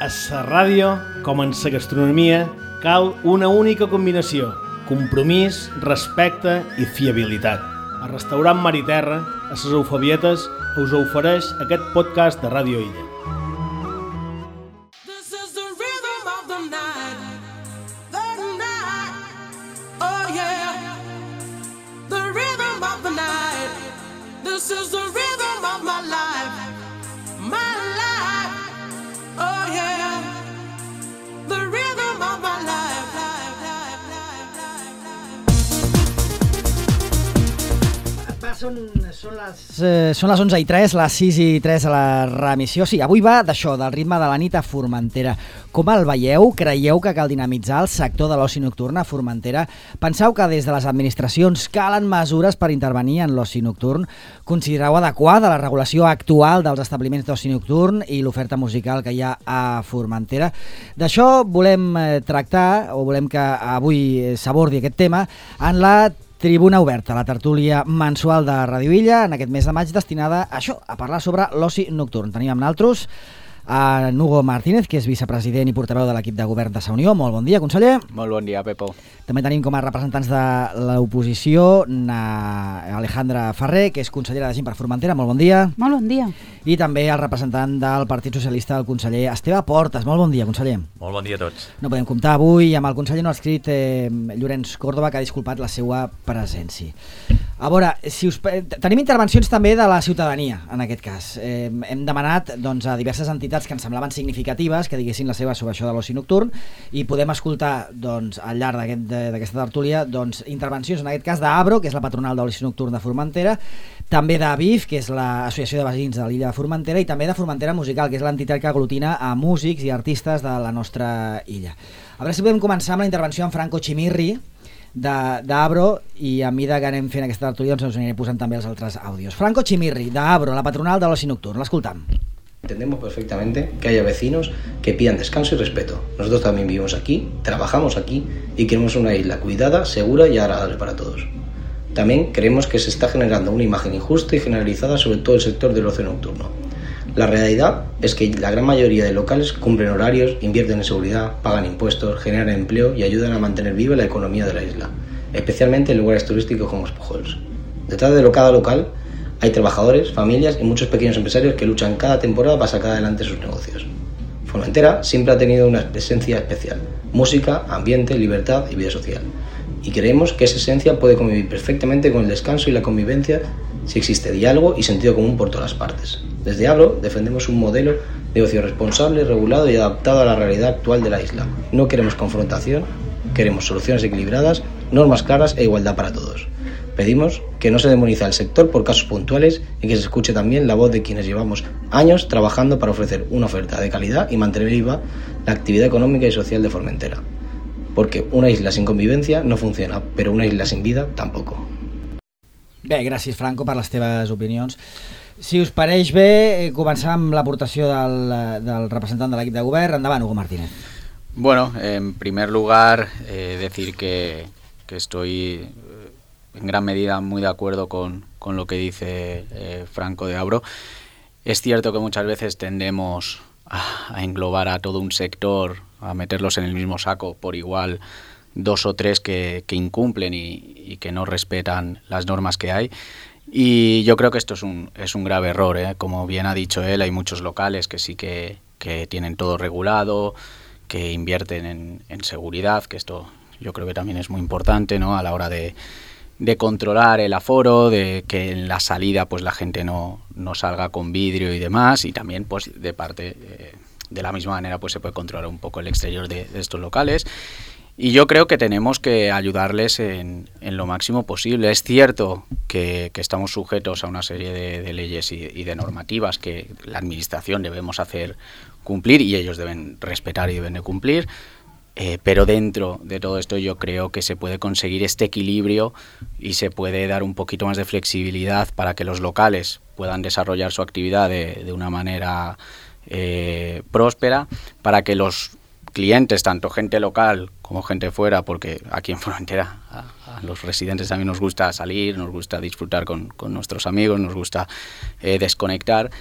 A la ràdio, com en la gastronomia, cal una única combinació: compromís, respecte i fiabilitat. El restaurant Mar i Terra, a les Eufebietes, us ofereix aquest podcast de Ràdio Illa. Són les 11:03, les 6:03 a la remissió. Sí, avui va d'això, del ritme de la nit a Formentera. Com el veieu? Creieu que cal dinamitzar el sector de l'oci nocturn a Formentera? Penseu que des de les administracions calen mesures per intervenir en l'oci nocturn? Considereu adequada la regulació actual dels establiments d'oci nocturn i l'oferta musical que hi ha a Formentera? D'això volem tractar, o volem que avui s'abordi aquest tema, en la Tribuna Oberta, la tertúlia mensual de Ràdio Illa, en aquest mes de maig, destinada a això, a parlar sobre l'oci nocturn. Tenim amb nosaltres a Hugo Martínez, que és vicepresident i portaveu de l'equip de govern de Sa Unió. Molt bon dia, conseller. Molt bon dia, Pepo. També tenim com a representants de l'oposició Alejandra Ferrer, que és consellera de Gent per Formentera. Molt bon dia. Molt bon dia. I també el representant del Partit Socialista, el conseller Esteve Portes. Molt bon dia, conseller. Molt bon dia a tots. No podem comptar avui amb el conseller no adscrit Llorenç Córdoba, que ha disculpat la seva presència. A veure, tenim intervencions també de la ciutadania, en aquest cas. Hem demanat a diverses entitats que ens semblaven significatives que diguessin la seva sobre això de l'oci nocturn, i podem escoltar al llarg d'aquesta tertúlia intervencions, en aquest cas d'Abro, que és la patronal de l'oci nocturn de Formentera, també d'Avif, que és l'associació de veïns de l'illa de Formentera, i també de Formentera Musical, que és l'entitat que aglutina a músics i artistes de la nostra illa. A veure si podem començar amb la intervenció en Franco Chimirri, d'Abro, i a mesura que anem fent aquesta tertúlia ens aniré posant també els altres àudios. Franco Chimirri, d'Abro, la patronal de l'oci nocturn. L'escoltam. Entendemos perfectamente que haya vecinos que pidan descanso y respeto. Nosotros también vivimos aquí, trabajamos aquí y queremos una isla cuidada, segura y agradable para todos. También creemos que se está generando una imagen injusta y generalizada sobre todo el sector del ocio nocturno. La realidad es que la gran mayoría de locales cumplen horarios, invierten en seguridad, pagan impuestos, generan empleo y ayudan a mantener viva la economía de la isla, especialmente en lugares turísticos como Espujols. Detrás de cada local hay trabajadores, familias y muchos pequeños empresarios que luchan cada temporada para sacar adelante sus negocios. Formentera siempre ha tenido una esencia especial: música, ambiente, libertad y vida social. Y creemos que esa esencia puede convivir perfectamente con el descanso y la convivencia si existe diálogo y sentido común por todas las partes. Desde Abro defendemos un modelo de ocio responsable, regulado y adaptado a la realidad actual de la isla. No queremos confrontación, queremos soluciones equilibradas, normas claras e igualdad para todos. Pedimos que no se demonice al sector por casos puntuales y que se escuche también la voz de quienes llevamos años trabajando para ofrecer una oferta de calidad y mantener viva la actividad económica y social de Formentera. Porque una isla sin convivencia no funciona, pero una isla sin vida tampoco. Bé, gràcies, Franco, per les teves opinions. Si us pareix bé, començar amb l'aportació del representant de l'equip de govern. Endavant, Hugo Martínez. Bueno, en primer lugar, decir que estoy en gran medida muy de acuerdo con lo que dice Franco de Abro. Es cierto que muchas veces tendemos a englobar a todo un sector, a meterlos en el mismo saco por igual, dos o tres que incumplen y que no respetan las normas que hay. Y yo creo que esto es un grave error, ¿eh? Como bien ha dicho él, hay muchos locales que sí que tienen todo regulado, que invierten en seguridad, que esto yo creo que también es muy importante, ¿no? A la hora de controlar el aforo, de que en la salida pues la gente no salga con vidrio y demás, y también pues de parte de la misma manera pues se puede controlar un poco el exterior de estos locales. Y yo creo que tenemos que ayudarles en lo máximo posible. Es cierto que estamos sujetos a una serie de leyes y de normativas que la administración debemos hacer cumplir y ellos deben respetar y deben de cumplir, pero dentro de todo esto yo creo que se puede conseguir este equilibrio y se puede dar un poquito más de flexibilidad para que los locales puedan desarrollar su actividad de una manera próspera, para que los clientes, tanto gente local como gente fuera, porque aquí en Formentera a los residentes también nos gusta salir, nos gusta disfrutar con nuestros amigos, nos gusta desconectar,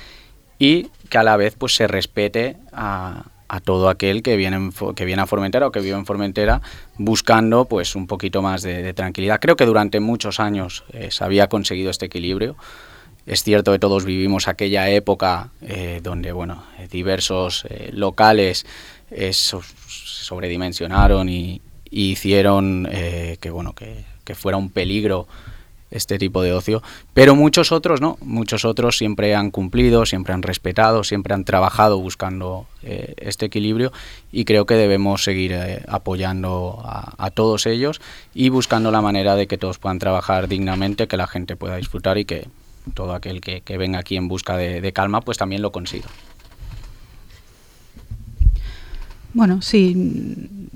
y que a la vez pues se respete a todo aquel que viene a Formentera o que vive en Formentera buscando pues un poquito más de tranquilidad. Creo que durante muchos años se había conseguido este equilibrio. Es cierto que todos vivimos aquella época donde diversos locales sobredimensionaron y hicieron que fuera un peligro este tipo de ocio, pero muchos otros no, muchos otros siempre han cumplido, siempre han respetado, siempre han trabajado buscando este equilibrio, y creo que debemos seguir apoyando a todos ellos y buscando la manera de que todos puedan trabajar dignamente, que la gente pueda disfrutar y que todo aquel que venga aquí en busca de calma pues también lo consiga. Bueno, sí,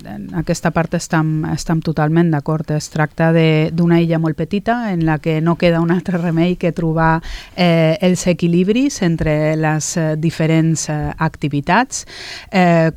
en aquesta part estem totalment d'acord. Es tracta d'una illa molt petita en la que no queda un altre remei que trobar els equilibris entre les diferents activitats.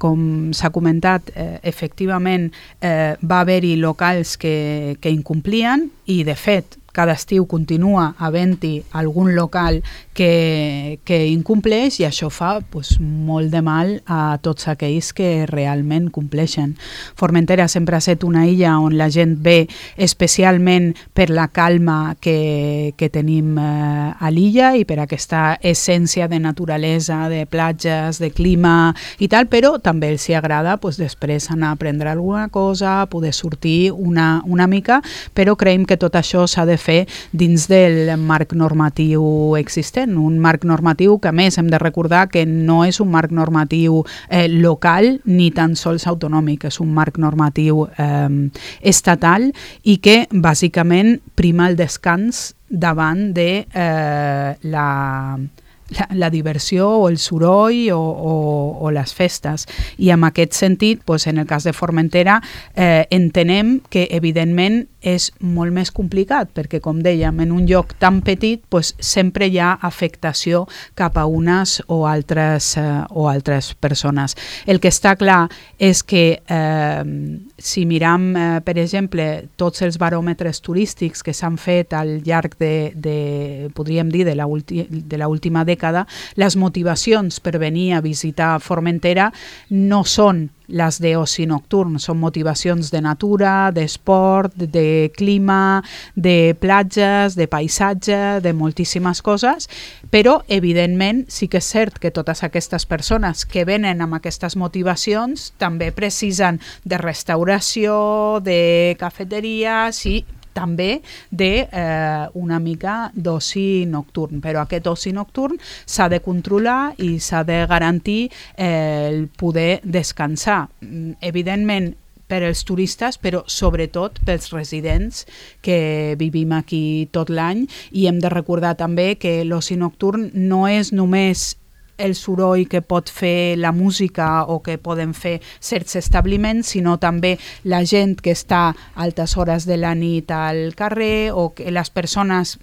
Com s'ha comentat, efectivament va haver-hi locals que incomplien i, de fet, cada estiu continua havent-hi algun local que incompleix, i això fa molt de mal a tots aquells que realment compleixen. Formentera sempre ha estat una illa on la gent ve especialment per la calma que tenim a l'illa i per aquesta essència de naturalesa, de platges, de clima i tal, però també els agrada després anar a prendre alguna cosa, poder sortir una mica, però creiem que tot això s'ha de fer dins del marc normatiu existent, un marc normatiu que a més hem de recordar que no és un marc normatiu local ni tan sols autonòmic, és un marc normatiu estatal i que bàsicament prima el descans davant de la diversió o el soroll o les festes. I en aquest sentit, en el cas de Formentera, entenem que evidentment és molt més complicat, perquè com dèiem, en un lloc tan petit sempre hi ha afectació cap a unes o altres persones. El que està clar és que si miram, per exemple, tots els baròmetres turístics que s'han fet al llarg podríem dir, de l'última dècada, les motivacions per venir a visitar Formentera no són les d'oci nocturn, són motivacions de natura, d'esport, de clima, de platges, de paisatge, de moltíssimes coses, però evidentment sí que és cert que totes aquestes persones que venen amb aquestes motivacions també precisen de restauració, de cafeteries i també d'una mica d'oci nocturn, però aquest oci nocturn s'ha de controlar i s'ha de garantir el poder descansar. Evidentment, per als turistes, però sobretot pels residents que vivim aquí tot l'any, i hem de recordar també que l'oci nocturn no és només el soroll que pot fer la música o que poden fer certs establiments, sinó també la gent que està a altes hores de la nit al carrer, o que les persones,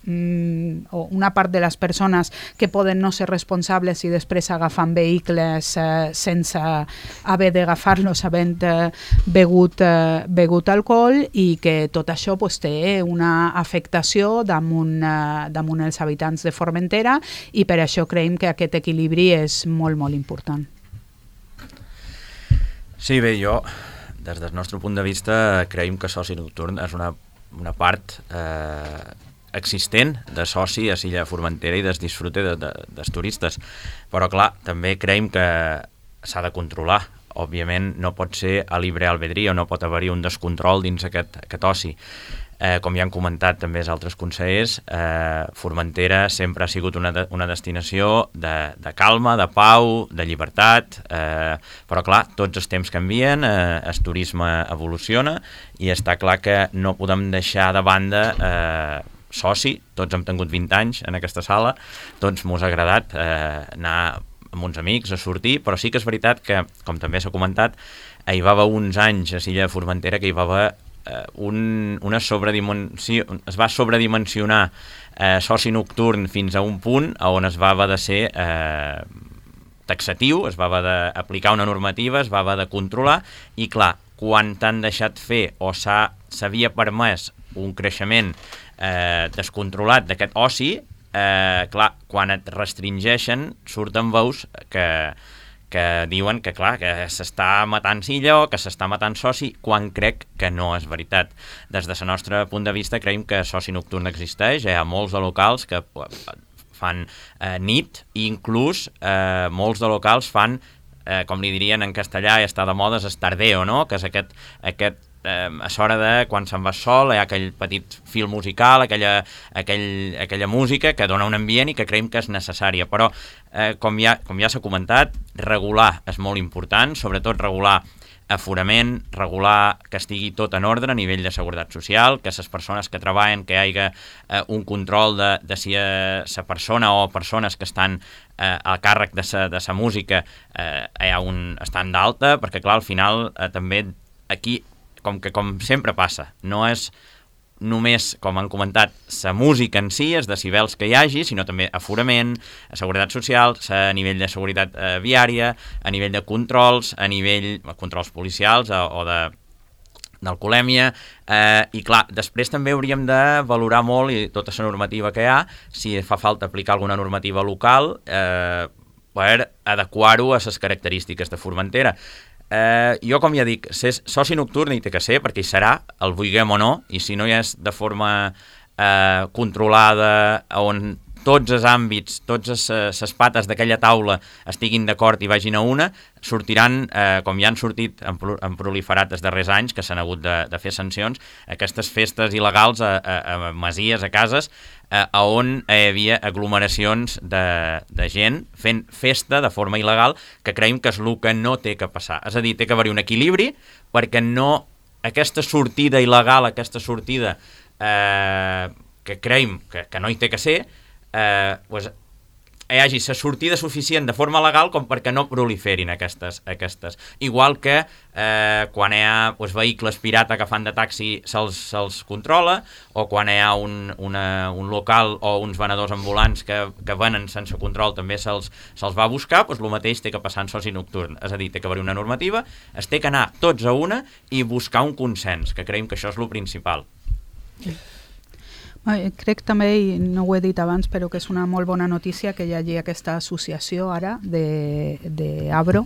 o una part de les persones que poden no ser responsables i després agafant vehicles sense haver d'agafar-los havent begut alcohol, i que tot això té una afectació damunt els habitants de Formentera, i per això creiem que aquest equilibri és molt, molt important. Sí, bé, jo, des del nostre punt de vista, creiem que soci nocturn és una part existent de soci a l'illa de Formentera i des disfrute dels turistes. Però, clar, també creiem que s'ha de controlar. Òbviament, no pot ser a libre albedrío, no pot haver-hi un descontrol dins aquest oci. Com ja han comentat també els altres consellers, Formentera sempre ha sigut una destinació de calma, de pau, de llibertat, però clar, tots els temps canvien, el turisme evoluciona i està clar que no podem deixar de banda soci. Tots hem tingut 20 anys en aquesta sala, tots mos ha agradat anar amb uns amics a sortir, però sí que és veritat que, com també s'ha comentat, hi va haver uns anys a l'illa de Formentera que hi va haver es va sobredimensionar soci nocturn fins a un punt on es va haver de ser taxatiu, es va haver d'aplicar una normativa, es va haver de controlar, i clar, quan t'han deixat fer o s'havia permès un creixement descontrolat d'aquest oci, clar, quan et restringeixen surten veus que diuen que, clar, que s'està matant Silla o que s'està matant Soci, quan crec que no és veritat. Des del nostre punt de vista, creiem que Soci Nocturn existeix, hi ha molts de locals que fan nit, i inclús molts de locals fan, com li dirien en castellà, i està de moda, és tardeo, no? Que és aquest a l'hora de quan se'n va sol hi ha aquell petit fil musical, aquella música que dona un ambient i que creiem que és necessària, però com ja s'ha comentat, regular és molt important, sobretot regular aforament, regular que estigui tot en ordre a nivell de seguretat social, que les persones que treballen, que hi hagi un control de si la persona o persones que estan a càrrec de sa música estan d'alta, perquè clar, al final també aquí, com sempre passa, no és només, com han comentat, la música en si, els decibels que hi hagi, sinó també aforament, seguretat social, a nivell de seguretat viària, a nivell de controls, a nivell de controls policials o d'alcoholèmia, i clar, després també hauríem de valorar molt, i tota la normativa que hi ha, si fa falta aplicar alguna normativa local per adequar-ho a les característiques de Formentera. Jo, com ja dic, soci nocturn hi té que ser, perquè hi serà, el vulguem o no, i si no hi és de forma controlada, on tots els àmbits, totes les pates d'aquella taula estiguin d'acord i vagin a una, sortiran, com ja han sortit, han proliferat els darrers anys, que s'han hagut de fer sancions, aquestes festes il·legals a masies, a cases, on hi havia aglomeracions de gent fent festa de forma il·legal, que creiem que és el que no té que passar. És a dir, té que haver-hi un equilibri, perquè no aquesta sortida il·legal, aquesta sortida que creiem que no hi té que ser, hi hagi la sortida suficient de forma legal com perquè no proliferin aquestes. Igual que quan hi ha vehicles pirata que fan de taxi se'ls controla, o quan hi ha un local o uns venedors ambulants que venen sense control també se'ls va a buscar, el mateix té que passar en soci nocturn. És a dir, té que haver una normativa, es té que anar tots a una i buscar un consens, que creiem que això és el principal. Crec també, i no ho he dit abans, però que és una molt bona notícia que hi hagi aquesta associació ara d'Abro,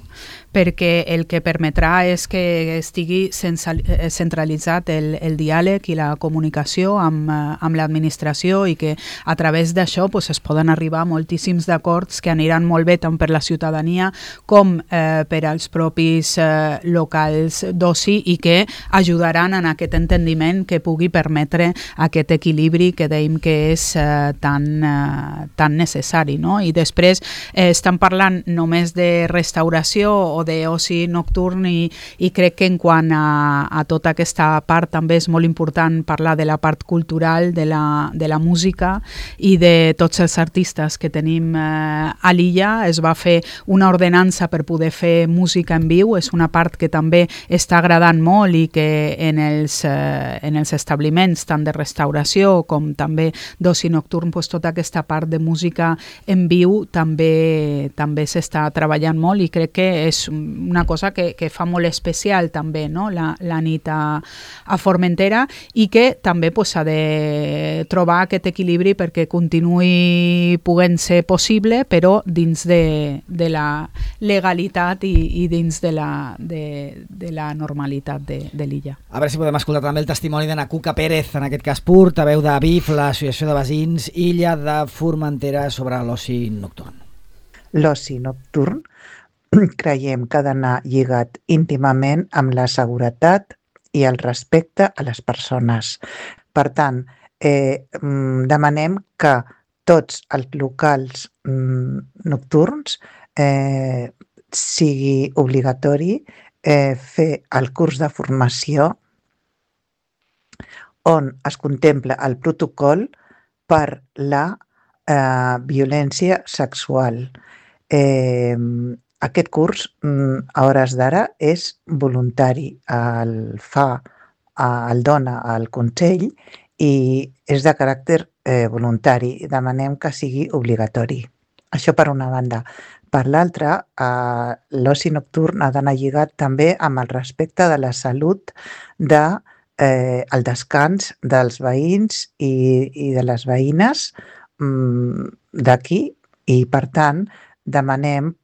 perquè el que permetrà és que estigui centralitzat el diàleg i la comunicació amb l'administració, i que a través d'això es poden arribar a moltíssims d'acords que aniran molt bé tant per la ciutadania com per als propis locals d'oci, i que ajudaran en aquest entendiment que pugui permetre aquest equilibri que dèiem que és tan necessari, no? I després estan parlant només de restauració o d'oci nocturn, i crec que en quant a tota aquesta part també és molt important parlar de la part cultural, de la música i de tots els artistes que tenim a l'illa. Es va fer una ordenança per poder fer música en viu, és una part que també està agradant molt, i que en els establiments tant de restauració com també d'oci nocturn, tota aquesta part de música en viu també s'està treballant molt, i crec que és una cosa que fa molt especial també, no? la nit a Formentera, i que també s'ha de trobar aquest equilibri perquè continuï podent ser possible, però dins de la legalitat i dins de la normalitat de l'illa. A veure si podem escoltar també el testimoni de Nacuca Pérez, en aquest cas portaveu de BIF, l'Associació de Veïns Illa de Formentera, sobre l'oci nocturn. L'oci nocturn creiem que ha d'anar lligat íntimament amb la seguretat i el respecte a les persones. Per tant, demanem que tots els locals nocturns sigui obligatori fer el curs de formació on es contempla el protocol per la violència sexual. Aquest curs, a hores d'ara, és voluntari. El dona el Consell i és de caràcter voluntari. Demanem que sigui obligatori. Això per una banda. Per l'altra, l'oci nocturn ha d'anar lligat també amb el respecte de la salut el descans dels veïns i de les veïnes d'aquí, i per tant demanem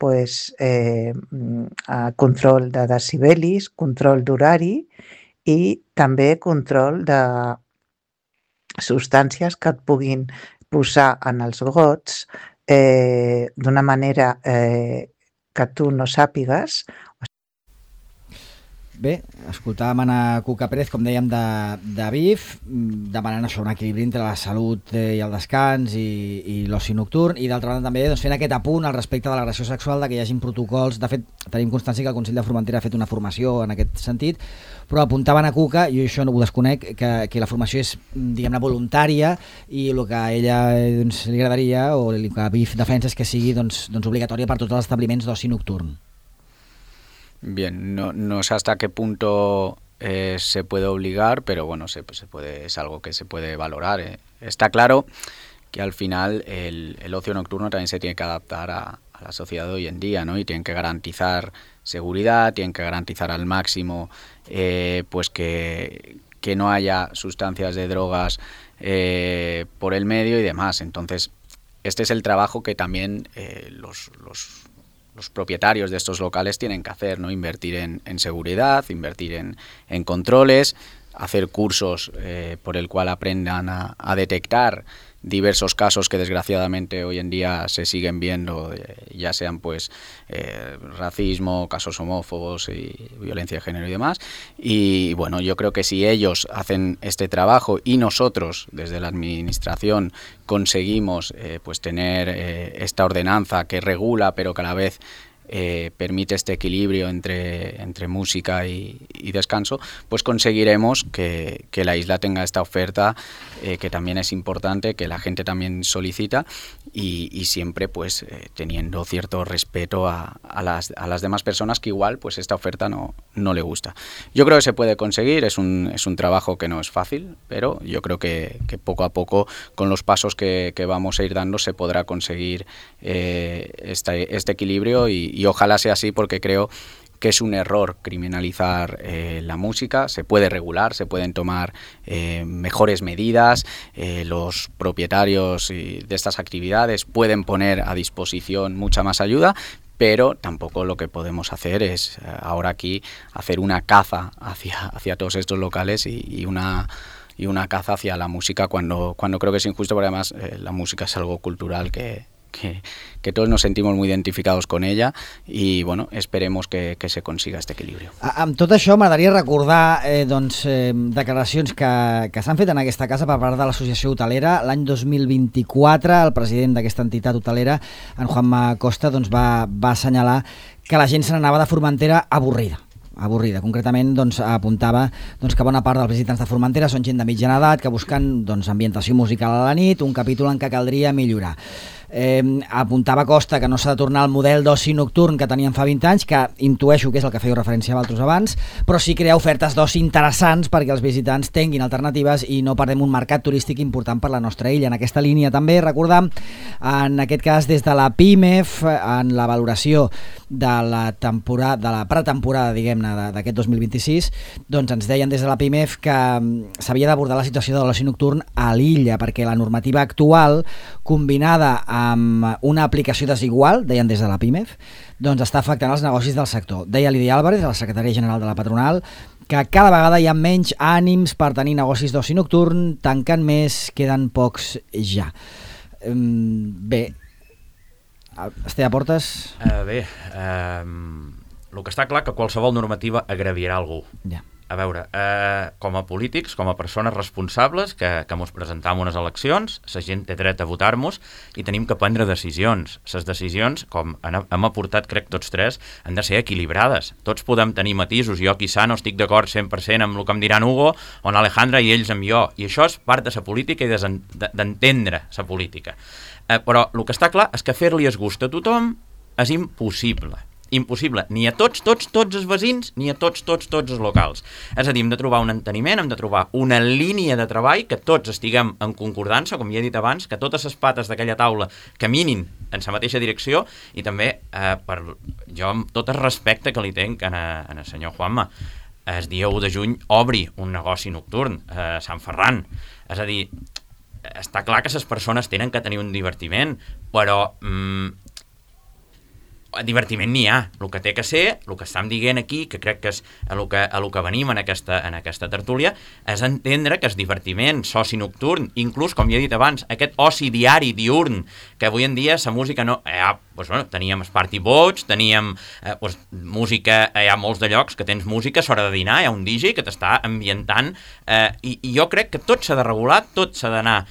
control de decibelis, control d'horari i també control de substàncies que et puguin posar en els gots d'una manera que tu no sàpigues. Bé, escoltàvem Anna Cuca Pérez, com dèiem, de BIF, demanant això, un equilibri entre la salut i el descans i l'oci nocturn, i d'altra banda també fent aquest apunt al respecte de l'agressió sexual, de que hi hagin protocols. De fet, tenim constància que el Consell de Formentera ha fet una formació en aquest sentit, però apuntava Anna Cuca, jo això no ho desconec, que la formació és, diguem-ne, voluntària, i el que a ella li agradaria, o el que BIF defensa, és que sigui obligatòria per tots els establiments d'oci nocturn. Bien, no sé hasta qué punto se puede obligar, pero bueno, es algo que se puede valorar. Está claro que al final el ocio nocturno también se tiene que adaptar a la sociedad de hoy en día, ¿no? Y tienen que garantizar seguridad, tienen que garantizar al máximo pues que no haya sustancias de drogas por el medio y demás. Entonces, este es el trabajo que también los propietarios de estos locales tienen que hacer, ¿no? Invertir en seguridad, invertir en controles, hacer cursos por el cual aprendan a detectar diversos casos que desgraciadamente hoy en día se siguen viendo, ya sean pues racismo, casos homófobos y violencia de género y demás. Y bueno, yo creo que si ellos hacen este trabajo y nosotros desde la administración conseguimos pues tener esta ordenanza que regula pero que a la vez permite este equilibrio entre música y descanso, pues conseguiremos que la isla tenga esta oferta que también es importante, que la gente también solicita y siempre pues teniendo cierto respeto a las demás personas que igual pues esta oferta no le gusta. Yo creo que se puede conseguir, es un trabajo que no es fácil, pero yo creo que poco a poco con los pasos que vamos a ir dando se podrá conseguir este equilibrio y ojalá sea así, porque creo que es un error criminalizar la música. Se puede regular, se pueden tomar mejores medidas, los propietarios de estas actividades pueden poner a disposición mucha más ayuda, pero tampoco lo que podemos hacer es ahora aquí hacer una caza hacia todos estos locales y una caza hacia la música cuando creo que es injusto, porque además la música es algo cultural que todos nos sentimos muy identificados con ella i bueno, esperemos que se consiga este equilibrio. Amb tot això m'agradaria recordar declaracions que s'han fet en aquesta casa per part de l'associació hotelera. L'any 2024 el president d'aquesta entitat hotelera, en Juanma Costa, va assenyalar que la gent se n'anava de Formentera avorrida. Concretament apuntava que bona part dels visitants de Formentera són gent de mitjana edat que busquen ambientació musical a la nit, un capítol en què caldria millorar. Apuntava Costa que no s'ha de tornar al model d'oci nocturn que teníem fa 20 anys, que intueixo que és el que fèieu referència a altres abans, però sí crear ofertes d'oci interessants perquè els visitants tinguin alternatives i no perdem un mercat turístic important per la nostra illa. En aquesta línia també recordam, en aquest cas des de la PIMEF, en la valoració de la pretemporada, diguem-ne, d'aquest 2026, ens deien des de la PIMEF que s'havia d'abordar la situació de l'oci nocturn a l'illa, perquè la normativa actual, combinada amb una aplicació desigual, deien des de la PIMEF, està afectant els negocis del sector. Deia Lídia Álvarez, la secretària general de la patronal, que cada vegada hi ha menys ànims per tenir negocis d'oci nocturn, tanquen més, queden pocs ja. Bé, Esteve Portes? Bé, el que està clar que qualsevol normativa agraviarà algú. Ja. A veure, com a polítics, com a persones responsables que mos presentam unes eleccions, la gent té dret a votar-nos i tenim que prendre decisions. Les decisions, com hem aportat, crec, tots tres, han de ser equilibrades. Tots podem tenir matisos. Jo, quizà, no estic d'acord 100% amb el que em diran Hugo o Alejandra i ells amb jo. I això és part de la política i d'entendre la política. Però el que està clar és que fer-li es gust a tothom és impossible. Impossible, ni a tots els veïns, ni a tots els locals. És a dir, hem de trobar un enteniment, hem de trobar una línia de treball que tots estiguem en concordança, com ja he dit abans, que totes les pates d'aquella taula caminin en la mateixa direcció i també, jo amb tot el respecte que li tenc al senyor Juanma, el dia 1 de juny obri un negoci nocturn a Sant Ferran. És a dir, està clar que les persones tenen que tenir un divertiment, però divertiment n'hi ha. El que té que ser, el que estem dient aquí, que crec que és a lo que venim en aquesta tertúlia, és entendre que el divertiment soci-nocturn, inclús, com ja he dit abans, aquest oci diari, diurn, que avui en dia la música no... teníem party boats, teníem música, hi ha molts de llocs que tens música a l'hora de dinar, hi ha un DJ que t'està ambientant, i jo crec que tot s'ha de regular, tot s'ha d'anar,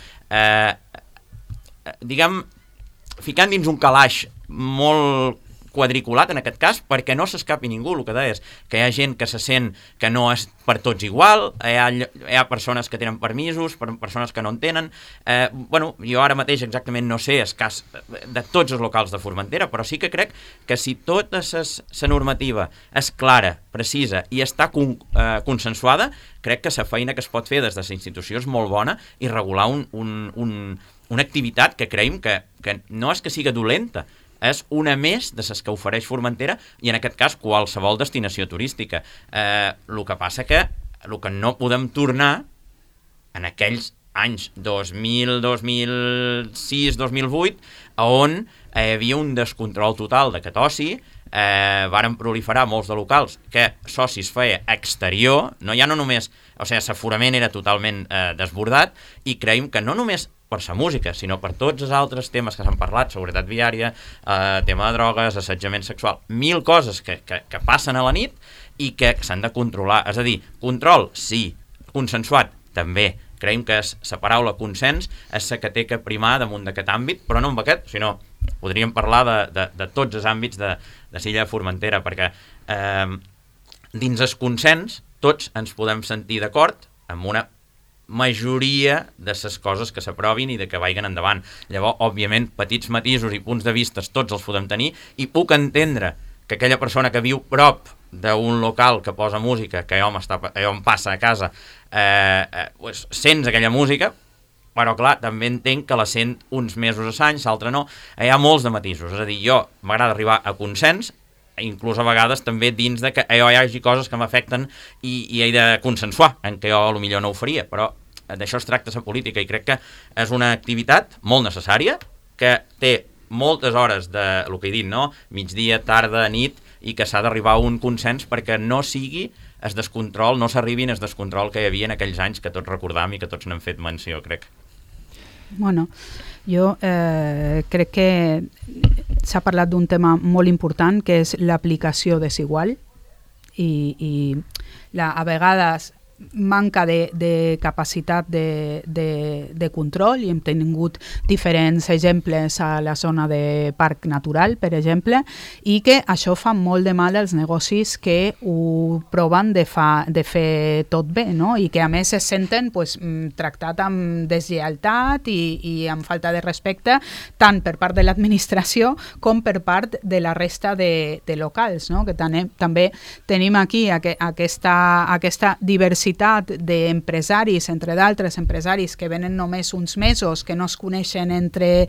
ficant dins un calaix molt quadriculat en aquest cas, perquè no s'escapi ningú. El que deies, que hi ha gent que se sent que no és per tots igual, hi ha persones que tenen permisos, persones que no en tenen. Jo ara mateix exactament no sé el cas de tots els locals de Formentera, però sí que crec que si tota la normativa és clara, precisa i està consensuada, crec que la feina que es pot fer des de la institució és molt bona i regular una activitat que creiem que no és que siga dolenta, és una més de les que ofereix Formentera i en aquest cas qualsevol destinació turística. El que passa que el que no podem tornar en aquells anys 2000, 2006, 2008 on hi havia un descontrol total d'aquest oci, varen proliferar molts de locals que socis feia exterior, no només, l'aforament era totalment desbordat, i creiem que no només per la música, sinó per tots els altres temes que s'han parlat, seguretat viària, tema de drogues, assetjament sexual, 1000 coses que passen a la nit i que s'han de controlar. És a dir, control, sí, consensuat, també. Creiem que la paraula consens és la que té que primar damunt d'aquest àmbit, però no amb aquest, sinó podríem parlar de tots els àmbits de l'illa de Formentera, perquè dins el consens tots ens podem sentir d'acord amb una majoria de les coses que s'aprovin i de que vagin endavant. Llavors, òbviament, petits matisos i punts de vista tots els podem tenir, i puc entendre que aquella persona que viu prop d'un local que posa música, que allò em passa a casa, sents aquella música, però clar, també entenc que la sent uns mesos a l'any, l'altre no. Hi ha molts de matisos, és a dir, jo m'agrada arribar a consens, inclús a vegades també dins de que hi hagi coses que m'afecten i he de consensuar, en què jo potser no ho faria, però d'això es tracta la política, i crec que és una activitat molt necessària, que té moltes hores de, el que he dit, no? Migdia, tarda, nit, i que s'ha d'arribar a un consens perquè no sigui el descontrol, no s'arribin al descontrol que hi havia en aquells anys que tots recordam i que tots n'hem fet menció, crec. Bueno, jo crec que s'ha parlat d'un tema molt important, que és l'aplicació desigual, i a vegades manca de capacitat de control, i hem tingut diferents exemples a la zona de parc natural, per exemple, i que això fa molt de mal als negocis que ho proven de fer tot bé, no? I que a més es senten tractat amb deslleialtat i amb falta de respecte, tant per part de l'administració com per part de la resta de locals, no? Que també tenim aquí aquesta diversitat d'empresaris, entre d'altres empresaris que venen només uns mesos, que no es coneixen entre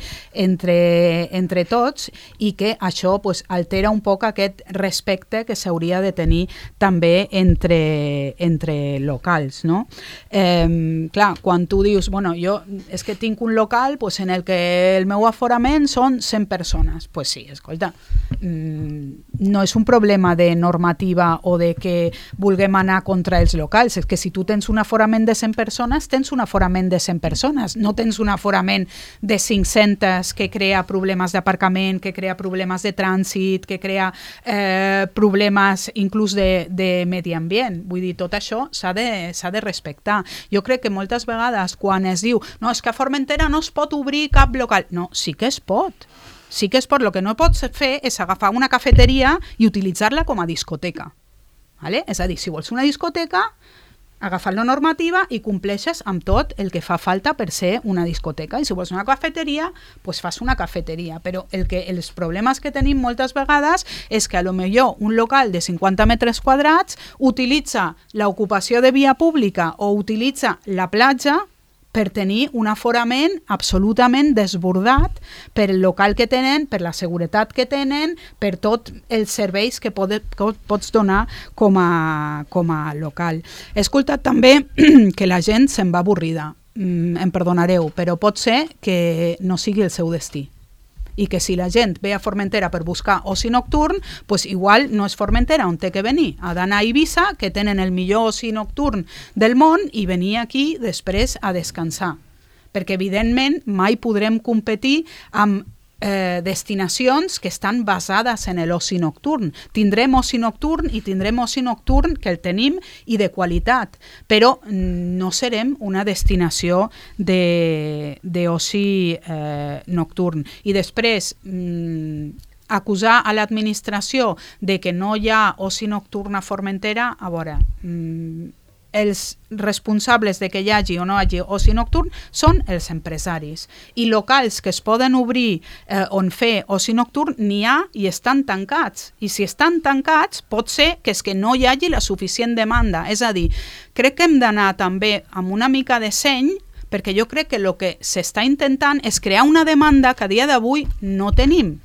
tots, i que això altera un poc aquest respecte que s'hauria de tenir també entre locals, no? Clar, quan tu dius, jo és que tinc un local en el que el meu aforament són 100 persones, sí, escolta, no és un problema de normativa o de que vulguem anar contra els locals, és que si tu tens un aforament de 100 persones, tens un aforament de 100 persones, no tens un aforament de 500 que crea problemes d'aparcament, que crea problemes de trànsit, que crea problemes inclús de medi ambient. Vull dir, tot això s'ha de respectar. Jo crec que moltes vegades quan es diu no, és que a Formentera no es pot obrir cap local. No, sí que es pot. Sí que es pot. El que no pots fer és agafar una cafeteria i utilitzar-la com a discoteca. ¿Vale? És a dir, si vols una discoteca, agafar la normativa i compleixes amb tot el que fa falta per ser una discoteca. I si vols una cafeteria, fas una cafeteria. Però els problemes que tenim moltes vegades és que potser un local de 50 metres quadrats utilitza l'ocupació de via pública o utilitza la platja per tenir un aforament absolutament desbordat per el local que tenen, per la seguretat que tenen, per tots els serveis que pots donar com a local. He escoltat també que la gent se'n va avorrida. Em perdonareu, però pot ser que no sigui el seu destí i que si la gent ve a Formentera per buscar oci nocturn, pues igual no és Formentera on té que venir, ha d'anar a Eivissa, que tenen el millor oci nocturn del món, i venir aquí després a descansar. Perquè evidentment mai podrem competir amb destinacions que estan basades en l'oci nocturn. Tindrem oci nocturn i tindrem oci nocturn que el tenim i de qualitat, però no serem una destinació d'oci nocturn. I després acusar a l'administració de que no hi ha oci nocturn a Formentera, a veure, els responsables de que hi hagi o no hi hagi oci nocturn són els empresaris, i locals que es poden obrir on fer oci nocturn n'hi ha i estan tancats, i si estan tancats pot ser que és que no hi hagi la suficient demanda. És a dir, crec que hem d'anar també amb una mica de seny, perquè jo crec que el que s'està intentant és crear una demanda que a dia d'avui no tenim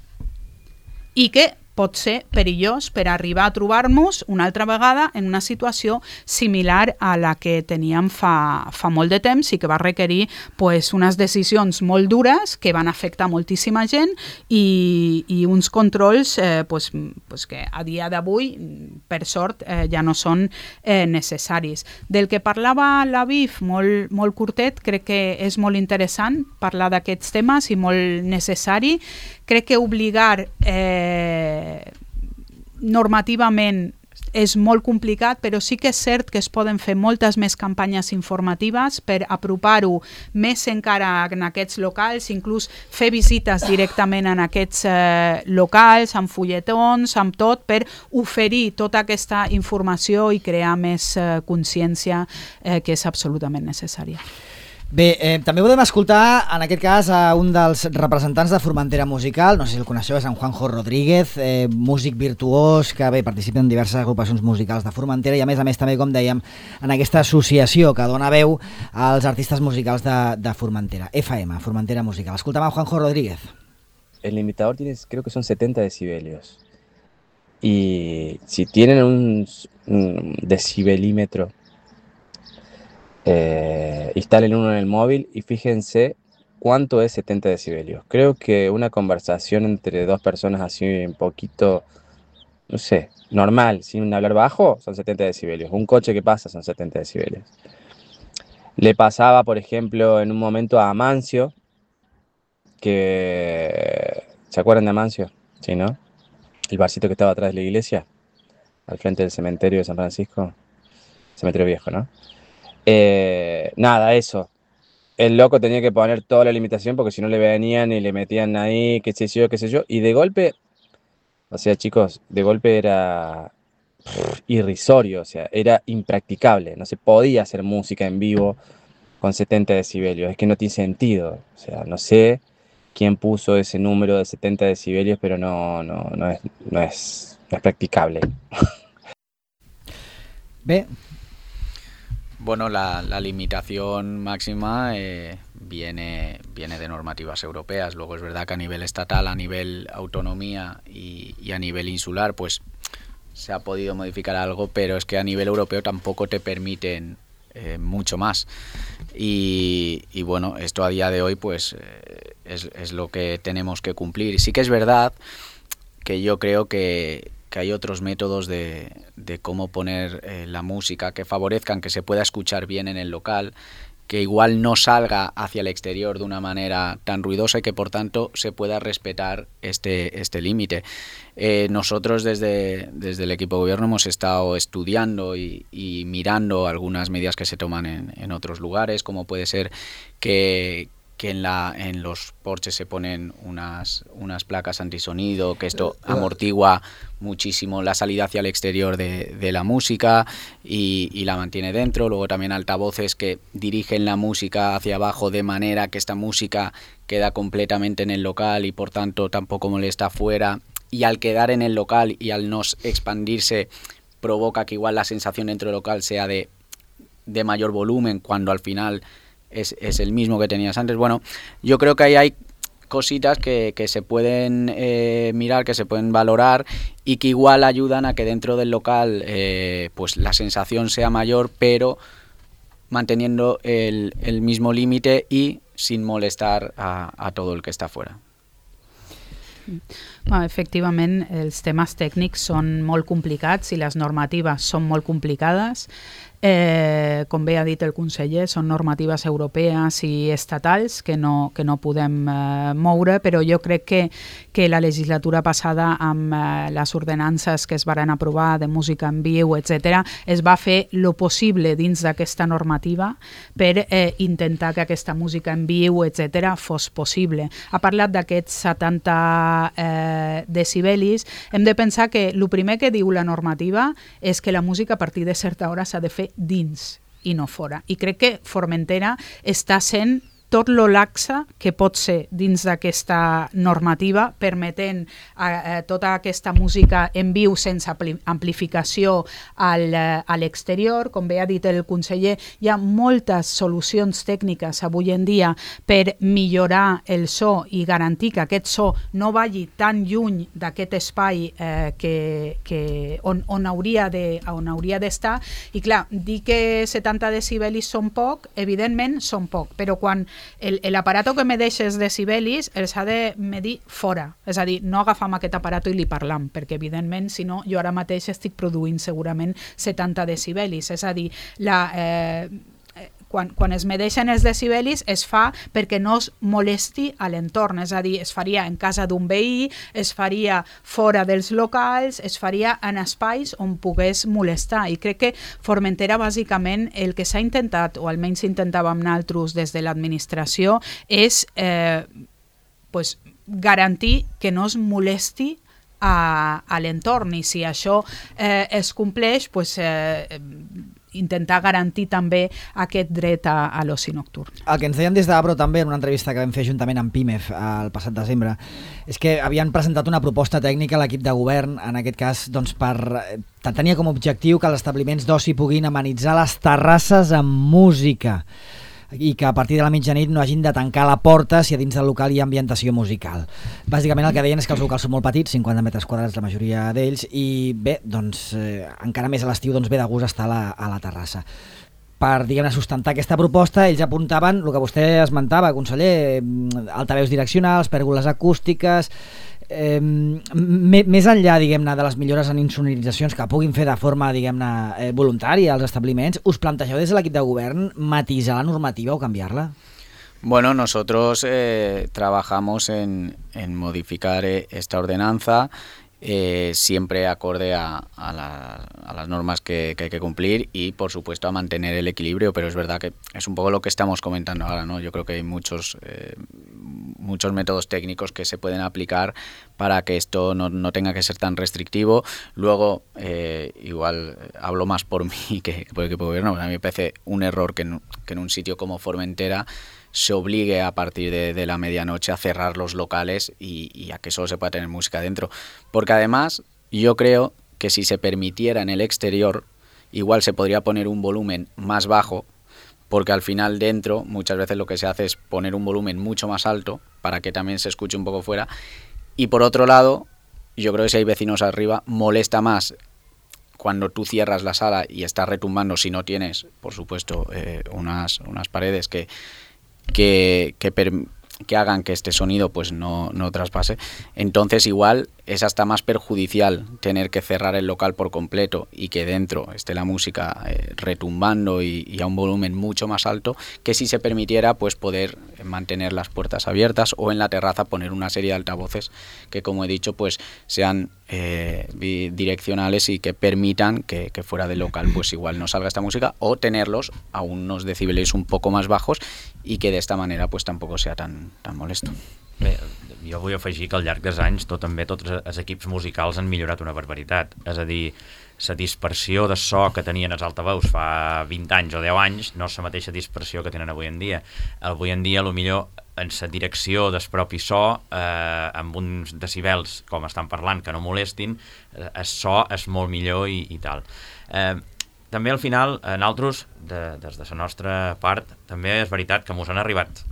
i que pot ser perillós per arribar a trobar-nos una altra vegada en una situació similar a la que teníem fa molt de temps i que va requerir pues, unes decisions molt dures que van afectar moltíssima gent i uns controls pues, que a dia d'avui, per sort, ja no són necessaris. Del que parlava l'Aviv, molt curtet, crec que és molt interessant parlar d'aquests temes i molt necessari. Crec que obligar normativament és molt complicat, però sí que és cert que es poden fer moltes més campanyes informatives per apropar-ho més encara en aquests locals, inclús fer visites directament en aquests locals, amb fulletons, amb tot, per oferir tota aquesta informació i crear més consciència que és absolutament necessària. Bé, també podem escoltar, en aquest cas, a un dels representants de Formentera Musical, no sé si el coneixeu, és en Juanjo Rodríguez, músic virtuós, que bé, participa en diverses agrupacions musicals de Formentera i a més també, com dèiem, en aquesta associació que dona veu als artistes musicals de Formentera, FM, Formentera Musical. Escoltem a Juanjo Rodríguez. El limitador tiene, creo que son 70 decibelios. Y si tienen un decibelímetro, instalen uno en el móvil y fíjense cuánto es 70 decibelios. Creo que una conversación entre dos personas así un poquito, no sé, normal, sin hablar bajo, son 70 decibelios. Un coche que pasa son 70 decibelios. Le pasaba, por ejemplo, en un momento a Amancio, que... ¿Se acuerdan de Amancio? Sí, ¿no? El barcito que estaba atrás de la iglesia, al frente del cementerio de San Francisco. Cementerio viejo, ¿no? Nada, eso. El loco tenía que poner toda la limitación porque si no le venían y le metían ahí, qué sé yo. Y de golpe, o sea, chicos, de golpe era irrisorio, o sea, era impracticable. No se podía hacer música en vivo con 70 decibelios. Es que no tiene sentido. O sea, no sé quién puso ese número de 70 decibelios, pero no es practicable. Bé. Bueno, la limitación máxima viene de normativas europeas. Luego es verdad que a nivel estatal, a nivel autonomía y a nivel insular, pues se ha podido modificar algo, pero es que a nivel europeo tampoco te permiten mucho más. Y bueno, esto a día de hoy pues es lo que tenemos que cumplir. Sí que es verdad que yo creo que hay otros métodos de cómo poner la música que favorezcan que se pueda escuchar bien en el local, que igual no salga hacia el exterior de una manera tan ruidosa y que por tanto se pueda respetar este límite. Nosotros desde el equipo de gobierno hemos estado estudiando y mirando algunas medidas que se toman en otros lugares, como puede ser que en los porches se ponen unas placas antisonido, que esto amortigua muchísimo la salida hacia el exterior de la música y la mantiene dentro. Luego también altavoces que dirigen la música hacia abajo de manera que esta música queda completamente en el local y por tanto tampoco molesta afuera, y al quedar en el local y al no expandirse provoca que igual la sensación dentro del local sea de mayor volumen cuando al final es el mismo que tenías antes. Bueno, yo creo que ahí hay cositas que se pueden mirar, que se pueden valorar y que igual ayudan a que dentro del local pues la sensación sea mayor, pero manteniendo el mismo límite y sin molestar a todo el que está fuera. Efectivament, els temes tècnics són molt complicats i les normatives són molt complicades. Com bé ha dit el conseller, són normatives europees i estatals que no podem moure, però jo crec que la legislatura passada amb les ordenances que es varen aprovar de música en viu, etc., es va fer lo possible dins d'aquesta normativa per intentar que aquesta música en viu, etc., fos possible. Ha parlat d'aquests 70 decibelis. Hem de pensar que el primer que diu la normativa és que la música a partir de certa hora s'ha de fer dins i no fora. I crec que Formentera està sent tot lo laxa que pot ser dins d'aquesta normativa, permetent tota aquesta música en viu sense amplificació a l'exterior. Com bé ha dit el conseller, hi ha moltes solucions tècniques avui en dia per millorar el so i garantir que aquest so no vagi tan lluny d'aquest espai on hauria d'estar. I clar, dir que 70 decibelis són poc, evidentment són poc, però quan l'aparato que medeix els decibelis els ha de medir fora, és a dir, no agafam aquest aparato i li parlam, perquè evidentment, si no, jo ara mateix estic produint segurament 70 decibelis, és a dir, quan es medeixen els decibelis es fa perquè no es molesti a l'entorn, és a dir, es faria en casa d'un veí, es faria fora dels locals, es faria en espais on pogués molestar. I crec que Formentera, bàsicament, el que s'ha intentat, o almenys intentàvem nosaltres des de l'administració, és garantir que no es molesti a l'entorn, i si això es compleix, intentar garantir també aquest dret a l'oci nocturn. El que ens deien des d'Abro també en una entrevista que vam fer juntament amb PIMEF el passat desembre és que havien presentat una proposta tècnica a l'equip de govern, en aquest cas tenia com a objectiu que els establiments d'oci puguin amenitzar les terrasses amb música i que a partir de la mitjanit no hagin de tancar la porta si a dins del local hi ha ambientació musical. Bàsicament el que deien és que els locals són molt petits, 50 metres quadrats la majoria d'ells, i bé, encara més a l'estiu ve de gust estar a la terrassa. Per, diguem-ne, sustentar aquesta proposta, ells apuntaven el que vostè esmentava, conseller, altaveus direccionals, pèrgoles acústiques, més enllà, diguem-ne, de les millores en insonoritzacions que puguin fer de forma, diguem-ne, voluntària als establiments, us plantegeu des de l'equip de govern matisar la normativa o canviar-la? Bueno, nosotros trabajamos en modificar esta ordenanza siempre acorde a las normas que hay que cumplir y, por supuesto, a mantener el equilibrio, pero es verdad que es un poco lo que estamos comentando ahora, ¿no? Yo creo que hay muchos métodos técnicos que se pueden aplicar para que esto no tenga que ser tan restrictivo. Luego, igual hablo más por mí que por el equipo de gobierno, a mí me parece un error que en un sitio como Formentera se obligue a partir de la medianoche a cerrar los locales y a que solo se pueda tener música dentro. Porque además yo creo que si se permitiera en el exterior, igual se podría poner un volumen más bajo, porque al final dentro muchas veces lo que se hace es poner un volumen mucho más alto para que también se escuche un poco fuera. Y por otro lado, yo creo que si hay vecinos arriba, molesta más cuando tú cierras la sala y estás retumbando, si no tienes, por supuesto, unas paredes que hagan que este sonido pues no traspase. Entonces igual es hasta más perjudicial tener que cerrar el local por completo y que dentro esté la música retumbando y a un volumen mucho más alto, que si se permitiera pues poder mantener las puertas abiertas o en la terraza poner una serie de altavoces que, como he dicho, pues sean bidireccionales y que permitan que fuera del local pues igual no salga esta música, o tenerlos a unos decibeles un poco más bajos y que de esta manera pues tampoco sea tan molesto. Bé, jo vull afegir que al llarg dels anys tots els equips musicals han millorat una barbaritat, és a dir, la dispersió de so que tenien els altaveus fa 20 anys o 10 anys no és la mateixa dispersió que tenen avui en dia. Avui en dia, potser en la direcció del propi so, amb uns decibels, com estan parlant, que no molestin, el so és molt millor i tal. També al final, nosaltres, des de la nostra part, també és veritat que ens han arribat